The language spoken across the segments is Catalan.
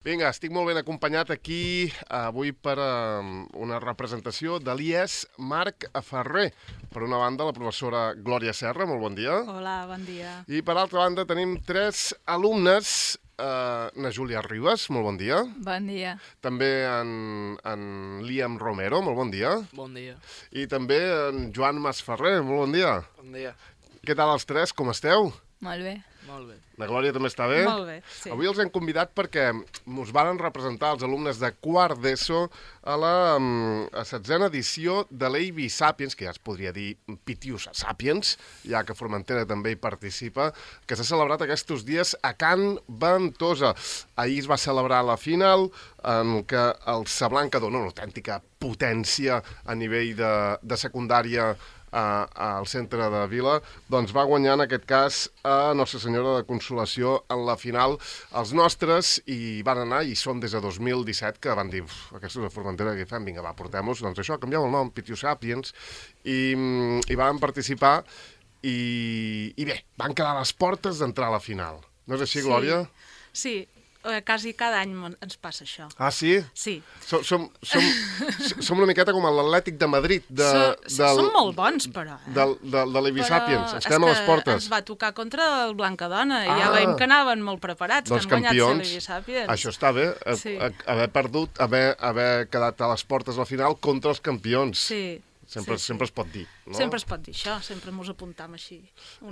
Vinga, estic molt ben acompanyat aquí avui per una representació de l'IES Marc Ferrer. Per una banda, la professora Glòria Serra, molt bon dia. Hola, bon dia. I per altra banda tenim tres alumnes, na Júlia Ribas, molt bon dia. Bon dia. També en Liam Romero, molt bon dia. Bon dia. I també en Joan Masferrer, molt bon dia. Bon dia. Què tal els tres, com esteu? Molt bé. Molt bé. La Glòria també està bé? Molt bé, sí. Avui els hem convidat perquè us varen representar els alumnes de quart d'ESO a la 16a edició de l'AV Sapiens, que ja es podria dir Pitius Sapiens, ja que Formentera també hi participa, que s'ha celebrat aquests dies a Can Ventosa. Ahir es va celebrar la final, en què el Sablanca dona una autèntica potència a nivell de secundària al centre de Vila, doncs va guanyar en aquest cas a Nostra Senyora de Consolació en la final els nostres, i van anar, i són des de 2017 que van dir, aquestos de Formentera què fem? Vinga, va, portem-los, doncs això, canvieu el nom, Pitius Sapiens, i van participar, i bé, van quedar a les portes d'entrar a la final. No és així, Glòria? Sí, quasi cada any ens passa això. Ah, sí? Sí. Som una miqueta com l'Atlètic de Madrid. Som molt bons, però. De l'Avi Sapiens. Ens quedem a les portes. Ens va tocar contra el Blancadona, i ja veiem que anaven molt preparats, doncs que han guanyat campions. l'Avi Sapiens. Això està bé, Sí. haver perdut, haver quedat a les portes a la final contra els campions. Sí. Sempre es pot dir, no? Sempre es pot dir això, sempre mos apuntam així.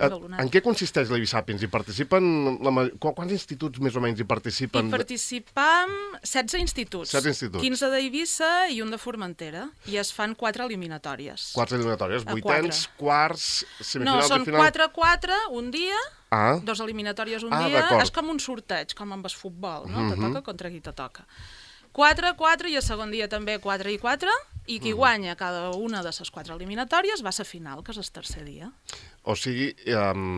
En què consisteix l'Avi Sapiens? Hi participen... Quants instituts més o menys hi participen? Hi participem 16 instituts. 16 instituts. 15 d'Eivissa i un de Formentera. I es fan 4 eliminatòries. 4 eliminatòries, A vuitens, quarts, No, semifinals són i final... 4-4 un dia, Ah, 2 eliminatòries un Ah, dia. d'acord. És com un sorteig, com amb el futbol, no? Te toca contra qui te toca. 4-4 i el segon dia també 4 i 4, i qui guanya cada una de les 4 eliminatòries va a la final, que és el tercer dia. o sigui,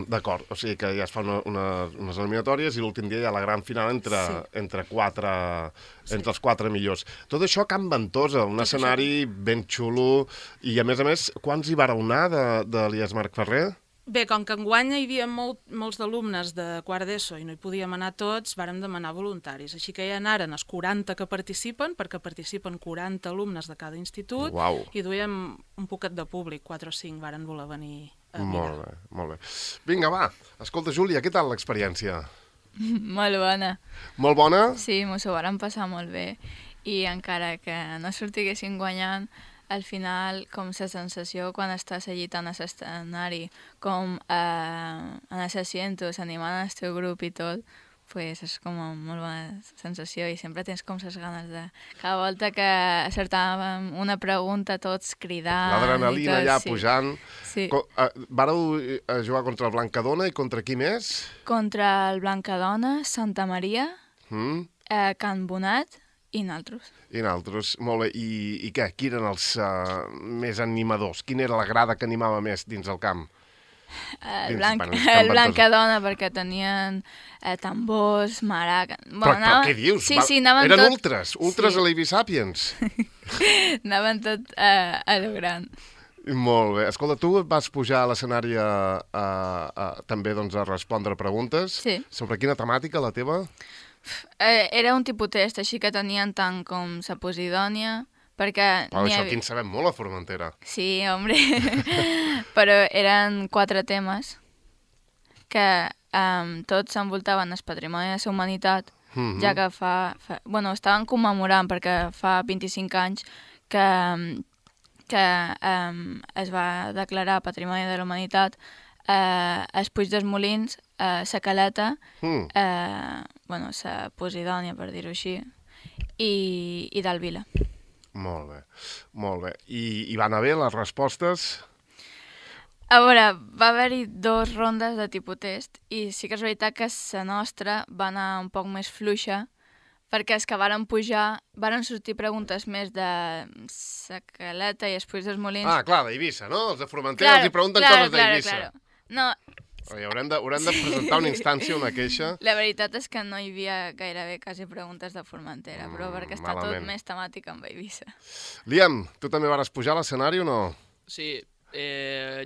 d'acord, o sigui que ja es fan unes eliminatòries i l'últim dia hi ha la gran final entre els 4 millors. Tot això a Can Ventosa, un escenari ben xulo, i a més, quants hi vareu anar de l'IES Marc Ferrer? Bé, com que enguany hi havia molts d'alumnes de quart d'ESO i no hi podíem anar tots, vàrem demanar voluntaris. Així que ja anaren els 40 que participen, perquè participen 40 alumnes de cada institut, Uau. i duíem un poquet de públic, 4 o 5 varen voler venir a mirar. Molt bé. Vinga, va. Escolta, Júlia, què tal l'experiència? Molt bona. Molt bona? Sí, mos ho vàrem passar molt bé. I encara que no sortiguessin guanyant, al final, com la sensació quan estàs allí tant a l'escenari com en els asientos, animant el teu grup i tot, pues és com una molt bona sensació, i sempre tens com les ganes de... Cada volta que acertàvem una pregunta, tots cridant... L'adrenalina i tot, ja sí. pujant. Sí. Vareu jugar contra el Blancadona i contra qui més? Contra el Blancadona, Santa Maria, Mm? Can Bonat i naltros. I nosaltres, molt bé. I què? Qui eren els més animadors? Quina era la grada que animava més dins el camp? El Can Blancadona, perquè tenien tambors, maraca... Però què dius? Sí, anaven eren tot... ultres a l'Avi Sapiens. Anaven tot a lo gran. Molt bé. Escolta, tu vas pujar a l'escenari també doncs, a respondre preguntes. Sí. Sobre quina temàtica, la teva? Era un tipus test, així que tenien tant com la Posidònia, perquè... Oh, això aquí en sabem molt a Formentera. Sí, hombre. Però eren 4 temes que tots s'envoltaven el patrimoni de la humanitat, ja que bueno, estaven commemorant perquè fa 25 anys que es va declarar Patrimoni de la Humanitat els Puig dels Molins, la Caleta, bueno, la Posidònia, per dir-ho així, i del Vila. Molt bé, molt bé. I van anar bé les respostes? A veure, va haver-hi 2 rondes de tipus test, i sí que és veritat que la nostra va anar un poc més fluixa, perquè els que varen pujar varen sortir preguntes més de la Caleta i els Puig dels Molins. Ah, clar, d'Eivissa, no? Els de Formentera els hi pregunten coses d'Eivissa. Claro. No, Haurem de presentar una instància, una queixa. la veritat és que no hi havia gairebé quasi preguntes de Formentera, però perquè està malament. tot més temàtic amb Eivissa. Liam, tu també vas pujar a l'escenari o no? Sí,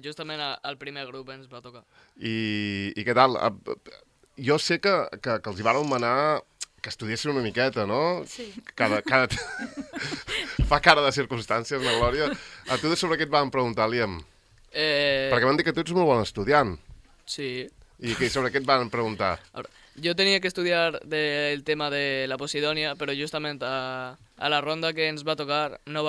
justament al primer grup ens va tocar. I què tal? Jo sé que els hi varen manar que estudiessin una miqueta, no? Sí. Fa cara de circumstàncies, la Glòria. A tu sobre què et van preguntar, Liam? Perquè m'han dit que tu ets molt bon estudiant. Sí. I sobre què et van preguntar? Ahora, yo tenía que estudiar del tema de la Posidonia, pero justamente a la ronda que ens va tocar no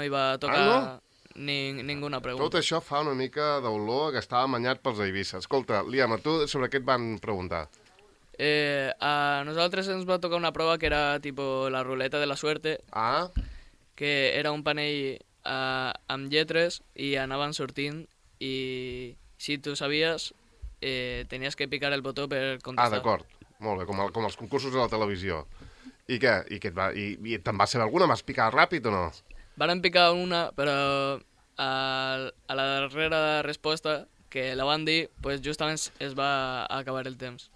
iba a tocar ninguna pregunta. Tot això fa una mica d'olor que estava amanyat pels Eivissa. Escolta, Liam, a tu sobre què et van preguntar? A nosaltres ens va tocar una prova que era tipo la ruleta de la suerte, que era un panell amb lletres i anaven sortint i si tu sabies tenies que picar el botó per contestar. D'acord. Molt bé, com els concursos de la televisió. I què? I te'n va saber alguna? Vas picar ràpid o no? Varen picar una, però a la darrera resposta que la van dir, pues justament es va acabar el temps.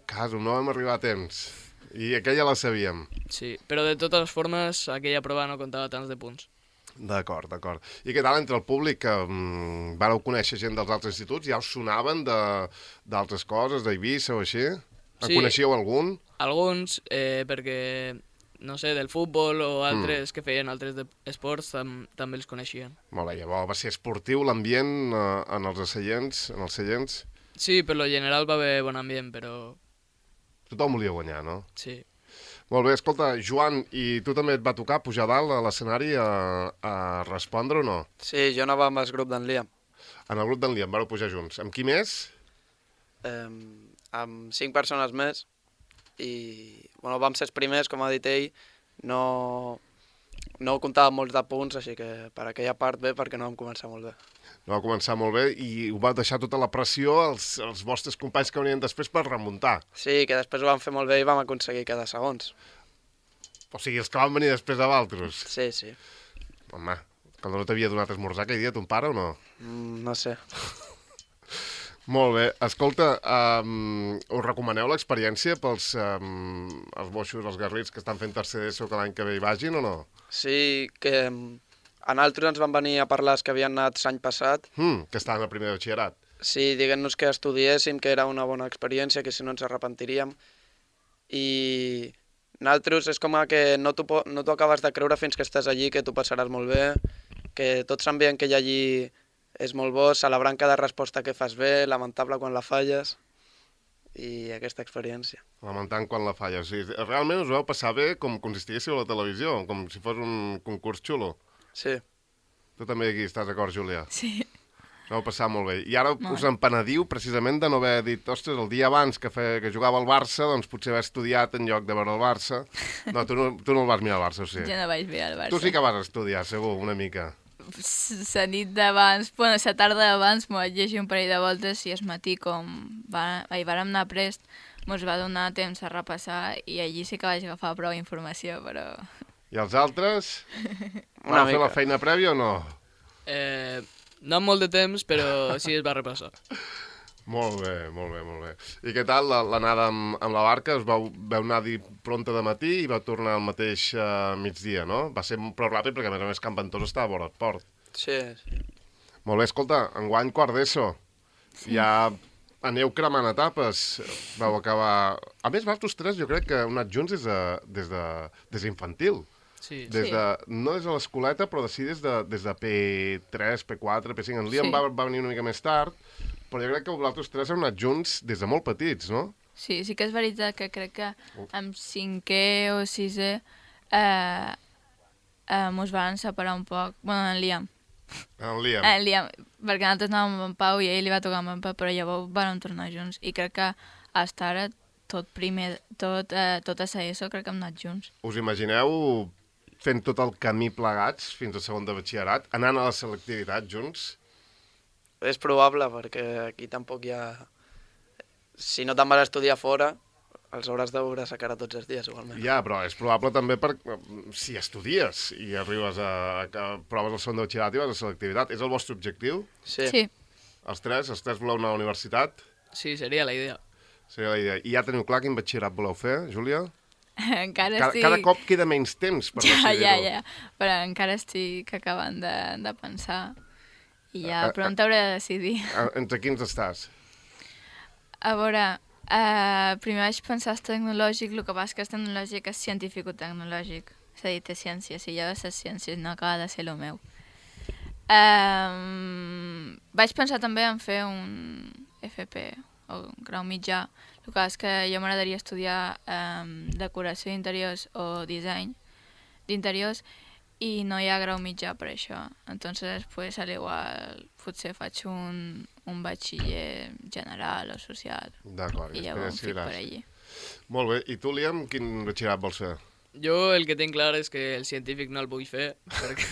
Caso, no vam arribar a temps. I aquella la sabíem. Sí, però de totes formes aquella prova no comptava tants de punts. D'acord. I què tal entre el públic? Vareu conèixer gent dels altres instituts? Ja us sonaven d'altres coses, d'Eivissa o així? En coneixíeu algun? Alguns, perquè, no sé, del futbol o altres que feien altres esports també els coneixien. Molt bé, llavors va ser esportiu l'ambient en els seients? Sí, per lo general va haver bon ambient, però... Tothom volia guanyar, no? Sí. Molt bé, escolta, Joan, i tu també et va tocar pujar dalt a l'escenari a respondre o no? Sí, jo anava amb el grup d'en Liam. En el grup d'en Liam, vareu pujar junts. Amb qui més? Amb 5 persones més i vam ser els primers, com ha dit ell, no comptàvem molts de punts, així que per aquella part bé, perquè no vam començar molt bé. No va començar molt bé i ho va deixar tota la pressió als vostres companys que venien després per remuntar. Sí, que després ho vam fer molt bé i vam aconseguir quedar segons. O sigui, els que van venir després de Valtros. Sí. Home, que no t'havia donat esmorzar aquell dia ton pare o no? No sé. Molt bé. Escolta, us recomaneu l'experiència pels els boixos, els garrits que estan fent tercer d'ESO que l'any que ve hi vagin o no? Sí, que a nosaltres ens van venir a parlar els que havien anat l'any passat. Que estaven a primer de batxillerat. Sí, diguent-nos que estudiéssim, que era una bona experiència, que si no ens arrepentiríem. I nosaltres és com que no t'ho acabes de creure fins que estàs allí, que t'ho passaràs molt bé, que tots s'envien que hi allí és molt bo, celebrant cada resposta que fas bé, lamentable quan la falles, i aquesta experiència. Lamentant quan la falles. Sí, realment us vau passar bé com consistíssiu a la televisió, com si fos un concurs xulo. Sí. Tu també aquí estàs d'acord, Júlia? Sí. Us vau passar molt bé. I ara us en penediu precisament de no haver dit, ostres, el dia abans que jugava al Barça, doncs potser haver estudiat en lloc de veure el Barça. No, tu no el vas mirar al Barça, o sigui. Jo no vaig mirar el Barça. Tu sí que vas estudiar, segur, una mica. La nit d'abans, bueno, la tarda d'abans m'ho vaig llegir un parell de voltes i el matí, com vàrem anar prest, mos va donar temps a repassar i allí sí que vaig agafar prou informació, però... I els altres? Van fer la feina prèvia o no? No amb molt de temps, però sí es va repassar. Molt bé. I què tal l'anada amb la barca? Us vau anar pronta de matí i vau tornar al mateix migdia, no? Va ser prou ràpid perquè, a més, Can Ventós estava a vora del port. Sí. Molt bé, escolta, enguany quart d'ESO. Sí. Ja aneu cremant etapes. Vau acabar... A més, vosaltres tres jo crec que heu anat junts des d'infantil. Sí. No des de l'escoleta, però sí des de P3, P4, P5. En Liam va venir una mica més tard, però jo crec que vosaltres tres heu anat junts des de molt petits, no? Sí que és veritat que crec que amb 5è o 6è mos van separar un poc. Bueno, en Liam. En Liam. En Liam, perquè nosaltres anàvem amb en Pau i a ell li va tocar amb en Pau, però llavors vam tornar junts. I crec que fins ara tot a ESO crec que hem anat junts. Us imagineu fent tot el camí plegats fins a segon de batxillerat, anant a la selectivitat junts? És probable, perquè aquí tampoc hi ha... Si no te'n vas estudiar fora, els hauràs de veure sa cara tots els dies, igualment. Ja, però és probable també si estudies i arribes a proves el segon de batxillerat i vas a selectivitat. És el vostre objectiu? Sí. Els tres voleu anar a la universitat? Sí, seria la idea. I ja teniu clar quin batxillerat voleu fer, Júlia? Encara estic... Cada cop queda menys temps per decidir-ho. Ja, però encara estic acabant de pensar i ja pront hauré de decidir. Entre quins estàs? A veure, Primer vaig pensar és tecnològic, el que passa que és tecnològic és científico-tecnològic. És a dir, té ciència, si jo de les ciències no acaba de ser el meu. Vaig pensar també en fer un FP, o un grau mitjà. El que és que jo m'agradaria estudiar decoració d'interiors o disseny d'interiors i no hi ha grau mitjà per això. Entonces, pues, al igual, potser faig un batxiller general o social. D'acord, i llavors em fico per allí. Molt bé, i tu, Liam, quin batxillerat vols fer? Jo el que tinc clar és que el científic no el vull fer, perquè...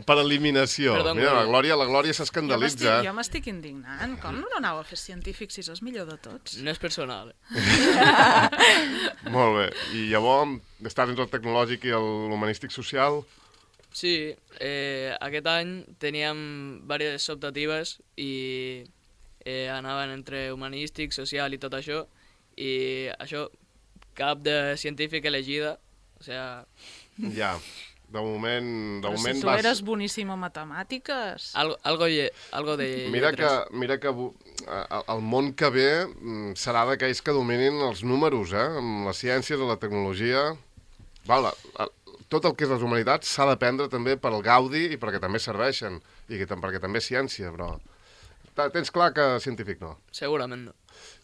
Per eliminació. Perdó, mira, la Glòria s'escandalitza. Jo m'estic indignant. Com no anava a fer científic si és el millor de tots? No és personal. Molt bé. I llavors, estàs entre el tecnològic i l'humanístic social? Sí, aquest any teníem diverses optatives i anaven entre humanístic, social i tot això, i això, cap de científic elegida, o sea... Ja, de moment Però si tu vas... eres boníssim en matemàtiques... Algo de Mira lletres. que el món que ve serà d'aquells que dominin els números, amb les ciències, la tecnologia... Tot el que és les humanitats s'ha d'aprendre també per al gaudi i perquè també serveixen, i perquè també és ciència, però... Tens clar que científic no? Segurament no.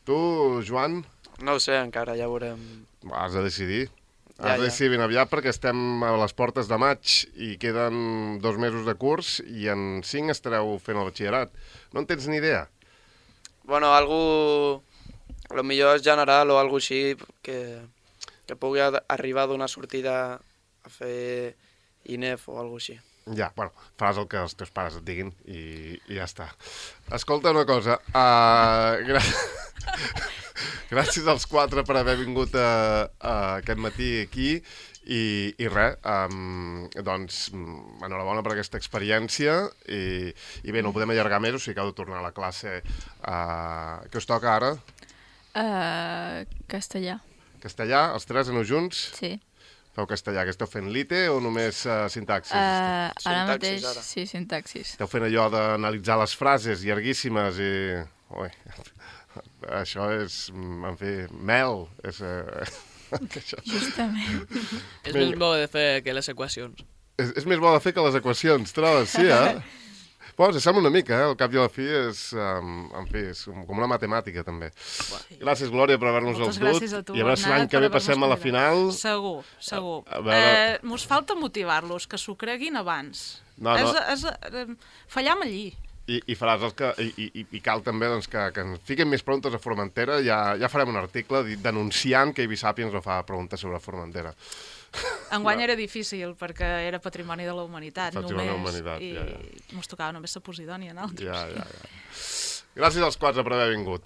Tu, Joan? No ho sé encara, ja veurem. Has de decidir. Has de decidir ben aviat perquè estem a les portes de maig i queden 2 mesos de curs i en 5 estareu fent el batxillerat. No en tens ni idea? Bueno, lo millor és general o algo així que pugui arribar d'una sortida a fer INEF o algo així. Ja, bueno, faràs el que els teus pares et diguin i ja està. Escolta una cosa, gràcies als 4 per haver vingut aquest matí aquí i res, doncs enhorabona per aquesta experiència i bé, no ho podem allargar més, o sigui que heu de tornar a la classe. Què us toca ara? Castellà. Castellà, els 3 aneu junts? Sí. Feu castellà, que esteu fent lite o només sintaxis? Ara mateix, sí, sintaxis. Esteu fent allò d'analitzar les frases llarguíssimes i... Ui, això és, en fi, mel. Justament. És més bo de fer que les equacions. És més bo de fer que les equacions, trobes? Sí, Bueno, sembla una mica, al cap i a la fi és, en fi, és com una matemàtica, també. Gràcies, Glòria, per haver-nos els dut. Gràcies a tu, I a veure si l'any que ve passem a la final. Segur. Mos falta motivar-los, que s'ho creguin abans. No. Fallam allí. I faràs el que... I cal també doncs, que ens fiquem més preguntes a Formentera. Ja farem un article denunciant que Ibisapiens no fa preguntes sobre Formentera. Enguany era difícil, perquè era patrimoni de la humanitat, Patrimoni de la només, humanitat, i mos tocava només la Posidònia en altres. Ja. Gràcies als 4 per haver vingut.